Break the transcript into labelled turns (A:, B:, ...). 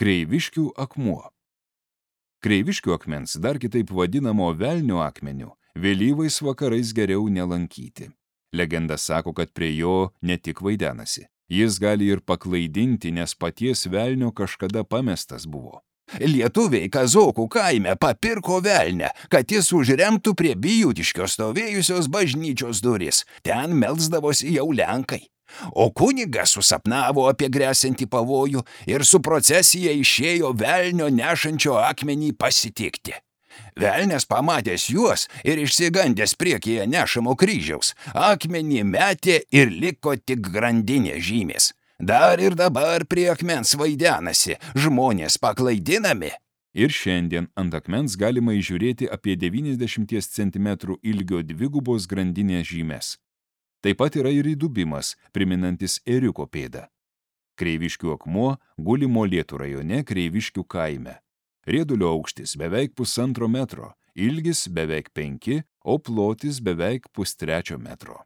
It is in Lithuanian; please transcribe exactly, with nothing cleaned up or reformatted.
A: Kreiviškių akmuo. Kreiviškių akmens, dar kitaip vadinamo velnio akmeniu, vėlyvais vakarais geriau nelankyti. Legenda sako, kad prie jo ne tik vaidenasi. Jis gali ir paklaidinti, nes paties velnio kažkada pamestas buvo.
B: Lietuviai Kazokų kaime papirko velnę, kad jis užremtų prie Bijūtiškio stovėjusios bažnyčios duris. Ten melsdavosi jau lenkai. O kunigas susapnavo apie gresiantį pavojų ir su procesija išėjo velnio nešančio akmenį pasitikti. Velnias pamatęs juos ir išsigandęs priekyje nešamo kryžiaus, akmenį metė ir liko tik grandinė žymės. Dar ir dabar prie akmens vaidenasi, žmonės paklaidinami.
A: Ir šiandien ant akmens galima įžiūrėti apie devyniasdešimt centimetrų ilgio dvigubos grandinės žymes. Taip pat yra ir įdubimas, priminantis ėriuko pėdą. Kreiviškių akmuo guli Molėtų rajone Kreiviškių kaime. Riedulio aukštis beveik pusantro metro, ilgis beveik penki, o plotis beveik pustrečio metro.